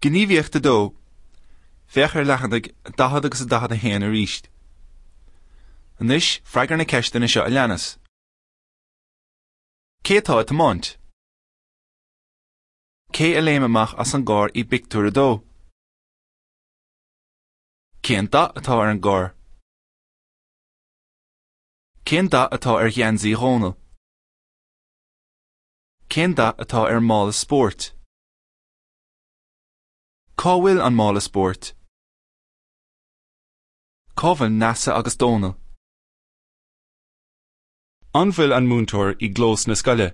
Gníomhaíocht 2. Féach ar leathanaigh 40 agus 41 arís. Anois, freagair na ceisteanna seo a leanas. Cé atá ag tiomáint? Cé a léim amach as an gcarr i bpictiúr 2? Cén dath atá ar an gcarr? Cén dath atá ar gheansaí Dhónaill? Cén dath atá ar an mála spóirt? Cá bhfuil an mála spóirt? Cá bhfuil Neasa agus Dónall? An bhfuil an múinteoir i gclós na scoile?